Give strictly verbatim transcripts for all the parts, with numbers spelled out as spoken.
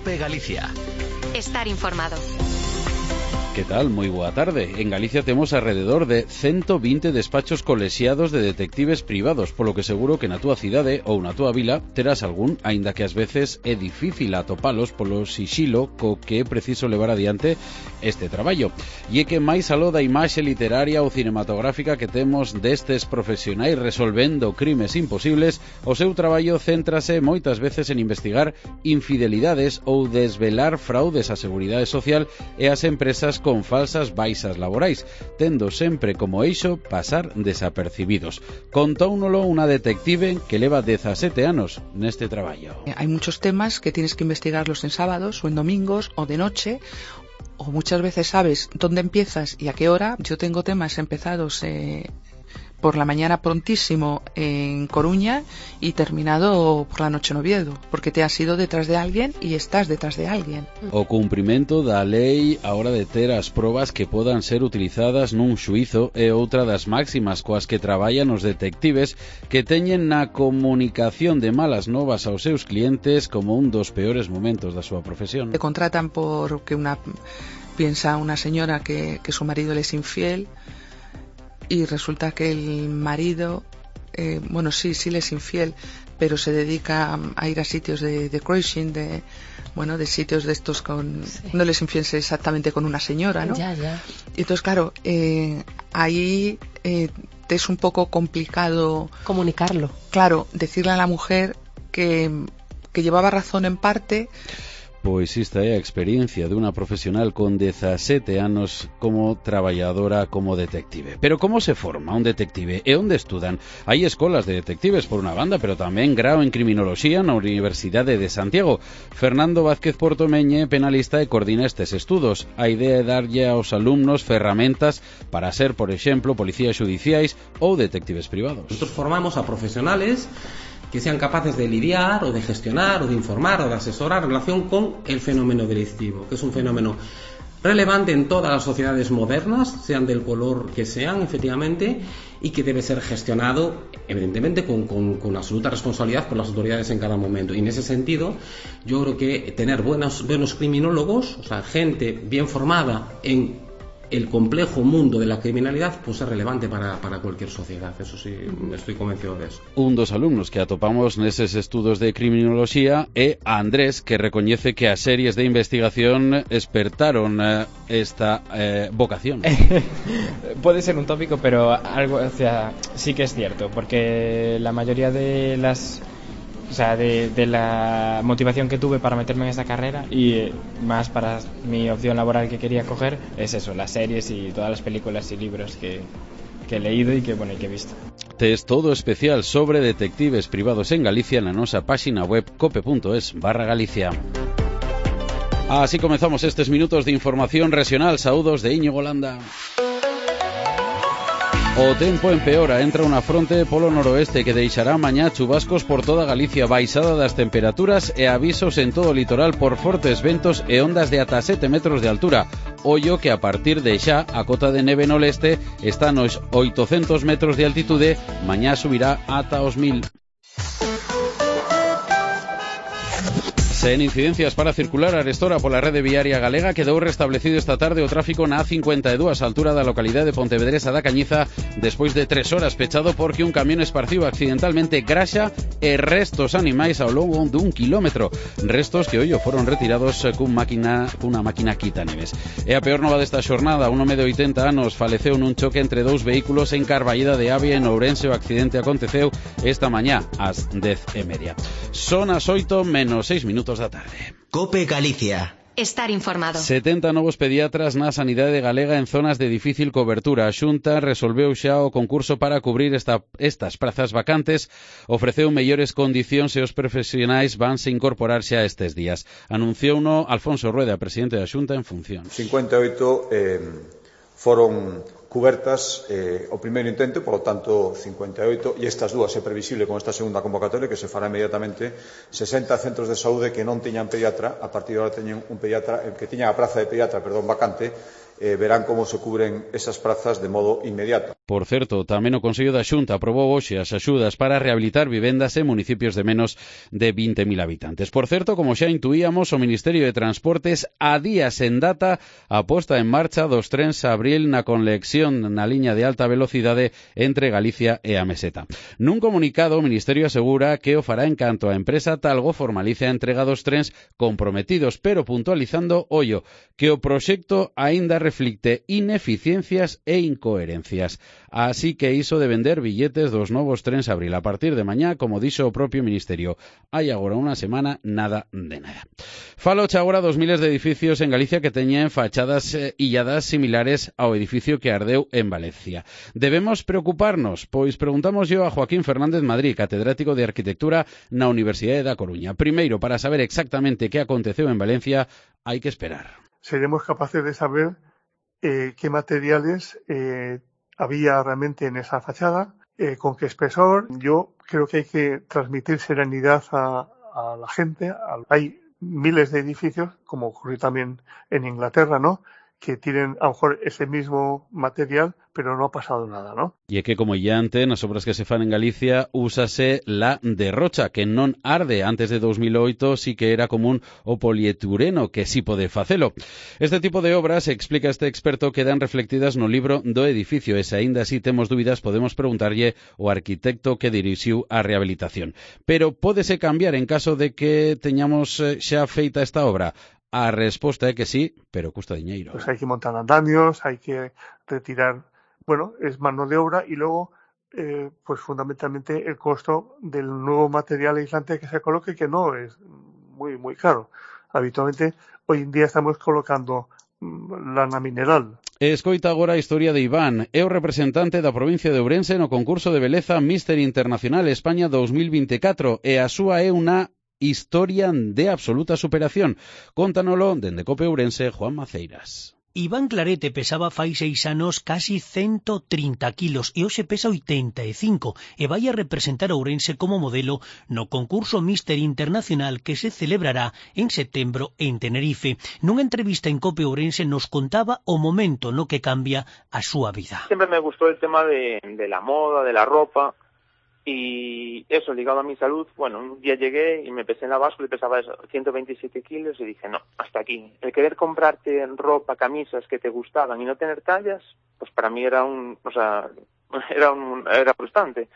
COPE Galicia. Estar informado. Que tal? Moi boa tarde. En Galicia temos alrededor de ciento veinte despachos colexiados de detectives privados, polo que seguro que na túa cidade ou na túa vila terás algún, aínda que ás veces é difícil atopalos polo sixilo co que é preciso levar adiante este traballo. E é que máis aló da imaxe literaria ou cinematográfica que temos destes profesionais resolvendo crimes imposibles, o seu traballo céntrase moitas veces en investigar infidelidades ou desvelar fraudes á seguridade social e ás empresas con falsas baixas laborais, tendo sempre como eixo pasar desapercibidos. Contóunolo unha detective que leva dezasete anos neste traballo. Hay muchos temas que tienes que investigarlos en sábados o en domingos o de noche, o muchas veces sabes dónde empiezas y a qué hora. Yo tengo temas empezados eh, por la mañana prontísimo en Coruña y terminado por la noche en Oviedo, porque te has ido detrás de alguien y estás detrás de alguien. O cumprimento da lei a hora de ter as probas que podan ser utilizadas nun xuízo é outra das máximas coas que traballan os detectives que teñen na comunicación de malas novas aos seus clientes como un dos peores momentos da súa profesión. Te contratan porque una piensa una señora que, que su marido le es infiel, y resulta que el marido, eh, bueno, sí, sí le es infiel, pero se dedica a ir a sitios de, de cruising, de, bueno, de sitios de estos con, sí. No les infiel exactamente con una señora, ¿no? Ya, ya. Y entonces, claro, eh, ahí eh, te es un poco complicado comunicarlo. Claro, decirle a la mujer que, que llevaba razón en parte. Pois esta é a experiencia dunha profesional con dezasete anos como traballadora como detective. Pero como se forma un detective e onde estudan? Hai escolas de detectives por unha banda, pero tamén grao en criminoloxía na Universidade de Santiago. Fernando Vázquez Portomeñe, penalista, e coordina estes estudos. A idea é darlle aos alumnos ferramentas para ser, por exemplo, policías xudiciais ou detectives privados. Nosotros formamos a profesionales que sean capaces de lidiar o de gestionar o de informar o de asesorar en relación con el fenómeno delictivo, que es un fenómeno relevante en todas las sociedades modernas, sean del color que sean, efectivamente, y que debe ser gestionado, evidentemente, con, con, con absoluta responsabilidad por las autoridades en cada momento. Y en ese sentido, yo creo que tener buenos, buenos criminólogos, o sea, gente bien formada en el complejo mundo de la criminalidad, pues es relevante para, para cualquier sociedad. Eso sí, estoy convencido de eso. Un dos alumnos que atopamos neses estudos de criminoloxía é a Andrés, que recoñece que as series de investigación espertaron eh, esta eh, vocación. Puede ser un tópico, pero algo, o sea, sí que es cierto, porque la mayoría de las O sea, de, de la motivación que tuve para meterme en esta carrera y eh, más para mi opción laboral que quería coger es eso, las series y todas las películas y libros que, que he leído y que, bueno, y que he visto. Tes todo especial sobre detectives privados en Galicia na nosa páxina web cope.es barra Galicia. Así comenzamos estes minutos de información regional. Saúdos de Íñigo Landa. O tempo empeora, entra unha fronte polo noroeste que deixará mañá chubascos por toda Galicia, baixada das temperaturas e avisos en todo o litoral por fortes ventos e ondas de ata sete metros de altura. Ollo que a partir de xa a cota de neve no leste está nos oitocentos metros de altitude, mañá subirá ata os mil. Sen incidencias para circular arestora pola rede viaria galega, quedou restablecido esta tarde o tráfico na A cincuenta e dúas, altura da localidade de Pontevedresa da Cañiza, despois de tres horas pechado porque un camión esparciu accidentalmente graxa e restos animais ao longo dun kilómetro. Restos que ollo foron retirados cun máquina, cunha máquina quitaneves. E a peor nova desta xornada, un home de oitenta anos faleceu nun choque entre dous vehículos en Carballeda de Avia, en Ourense. O accidente aconteceu esta mañá ás dez e media. Son as oito menos seis minutos da tarde. COPE Galicia. Estar informado. setenta novos pediatras na sanidade galega en zonas de difícil cobertura. A Xunta resolveu xa o concurso para cubrir esta, estas prazas vacantes, ofreceu mellores condicións e os profesionais vanse incorporar xa estes días. Anunciouno Alfonso Rueda, presidente da Xunta en función. cincuenta e oito eh, foron cubertas eh, o primeiro intento, por lo tanto cincuenta e oito, e estas dúas é previsible con esta segunda convocatoria que se fará inmediatamente. Sesenta centros de saúde que non teñan pediatra, a partir de agora teñen un pediatra, que teñan a praza de pediatra, perdón, vacante, eh, verán como se cubren esas prazas de modo inmediato. Por certo, tamén o Consello da Xunta aprobou hoxe as axudas para rehabilitar vivendas en municipios de menos de vinte mil habitantes. Por certo, como xa intuíamos, o Ministerio de Transportes a días en data a posta en marcha dos trens Abril na conexión na liña de alta velocidade entre Galicia e a Meseta. Nun comunicado, o Ministerio asegura que o fará en canto a empresa Talgo formalice a entrega dos trens comprometidos, pero puntualizando, ollo, que o proxecto aínda reflicte ineficiencias e incoherencias. Así que iso de vender billetes dos novos trens Abril a partir de mañá, como dixo o propio Ministerio, hai agora unha semana nada de nada. Faloche agora dos miles de edificios en Galicia que teñen fachadas eh, illadas similares ao edificio que ardeu en Valencia. Debemos preocuparnos? Pois preguntamos yo a Joaquín Fernández Madrid, catedrático de Arquitectura na Universidade da Coruña. Primeiro, para saber exactamente que aconteceu en Valencia, hai que esperar. Seremos capaces de saber eh, qué materiales eh, había realmente en esa fachada, eh, con qué espesor. Yo creo que hay que transmitir serenidad a, a la gente. Hay miles de edificios, como ocurrió también en Inglaterra, ¿no?, que tienen a lo mejor ese mismo material, pero no ha pasado nada, ¿no? E é que, como ya antes, nas obras que se fan en Galicia, úsase la derrocha, que non arde. Antes de dos mil oito sí que era común o polietileno, que sí pode facelo. Este tipo de obras, explica este experto, quedan reflectidas no libro do edificio, e se aínda así temos dúbidas, podemos preguntarlle ao arquitecto que dirixiu a rehabilitación. Pero pódese cambiar en caso de que teñamos xa feita esta obra? A resposta é que sí, pero custa diñeiro. Pues hay que montar andamios, hay que retirar, bueno, es mano de obra, y luego, eh, pues fundamentalmente el costo del nuevo material aislante que se coloque, que no es muy, muy caro. Habitualmente, hoy en día estamos colocando lana mineral. Escoita agora a historia de Iván. É o representante da provincia de Ourense no concurso de beleza Mister Internacional España dos mil veinticuatro, e a súa é unha historia de absoluta superación. Contanolo dende Cope Ourense, Juan Maceiras. Iván Clarete pesaba fai seis anos casi ciento trinta kilos e hoxe pesa oitenta e cinco e vai a representar a Ourense como modelo no concurso Mister Internacional que se celebrará en setembro en Tenerife. Nunha entrevista en Cope Ourense nos contaba o momento no que cambia a súa vida. Sempre me gustou el tema de, de la moda, de la ropa. Y eso, ligado a mi salud, bueno, un día llegué y me pesé en la báscula y pesaba eso, ciento veintisiete kilos y dije, no, hasta aquí. El querer comprarte ropa, camisas que te gustaban y no tener tallas, pues para mí era un, o sea, era un, era frustrante.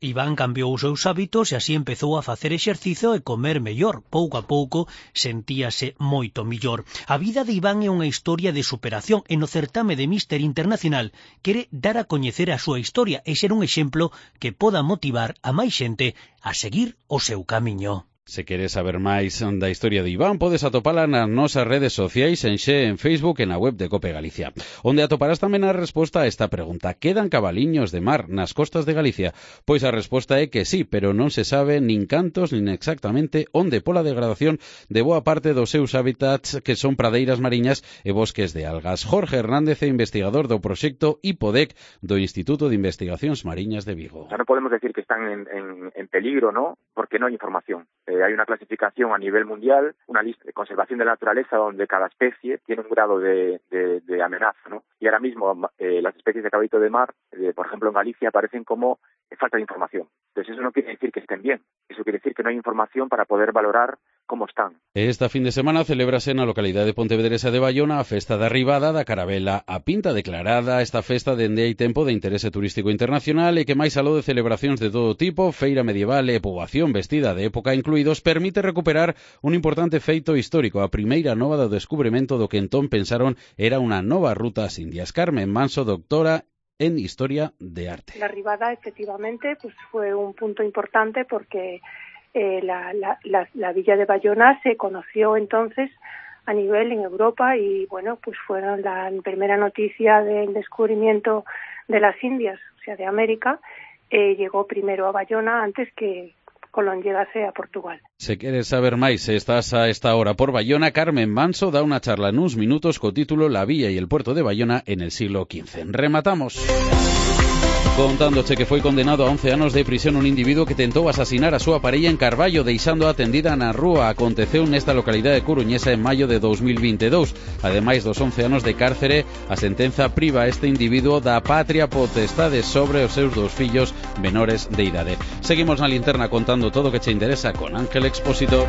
Iván cambiou os seus hábitos e así empezou a facer exercicio e comer mellor. Pouco a pouco sentíase moito mellor. A vida de Iván é unha historia de superación e no certame de Mister Internacional quere dar a coñecer a súa historia e ser un exemplo que poda motivar a máis xente a seguir o seu camiño. Se queres saber máis da historia de Iván, podes atopala nas nosas redes sociais, en Xe, en Facebook e na web de Cope Galicia, onde atoparás tamén a resposta a esta pregunta. Quedan cabaliños de mar nas costas de Galicia? Pois a resposta é que sí, pero non se sabe nin cantos nin exactamente onde pola degradación de boa parte dos seus hábitats, que son pradeiras mariñas e bosques de algas. Jorge Hernández é investigador do proxecto IPODEC do Instituto de Investigacións Mariñas de Vigo. O sea, non podemos decir que están en, en, en peligro, ¿no?, porque non hai información. Eh, hay una clasificación a nivel mundial, una lista de conservación de la naturaleza donde cada especie tiene un grado de, de, de amenaza, ¿no? Y ahora mismo eh, las especies de caballito de mar, eh, por ejemplo en Galicia, aparecen como eh, falta de información. Entonces eso no quiere decir que estén bien, eso quiere decir que no hay información para poder valorar como están. Esta fin de semana celébrase na localidade de Pontevedresa de Bayona a festa da Ribada da Carabela a Pinta, declarada esta festa dende hai tempo de interese turístico internacional e que máis aló de celebracións de todo tipo, feira medieval e poboación vestida de época incluídos, permite recuperar un importante feito histórico, a primeira nova do descubrimento do que entón pensaron era unha nova ruta ás Indias. Carmen Manso, doctora en Historia de Arte. La Ribada, efectivamente, pues fue un punto importante porque Eh, la, la, la, la villa de Bayona se conoció entonces a nivel en Europa y bueno, pues fueron la primera noticia del descubrimiento de las Indias, o sea, de América, eh, llegó primero a Bayona antes que Colón llegase a Portugal. Se queres saber máis, se estás a esta hora por Bayona, Carmen Manso da unha charla nuns minutos co título La villa y el puerto de Bayona en el siglo quince. Rematamos. Contándoche que foi condenado a once anos de prisión un individuo que tentou asasinar a súa parella en Carballo deixando atendida na rúa. Aconteceu nesta localidade coruñesa en maio de dos mil vinte e dous. Ademais dos once anos de cárcere, a sentenza priva a este individuo da patria potestade sobre os seus dous fillos menores de idade. Seguimos na linterna contando todo o que che interesa con Ángel Expósito.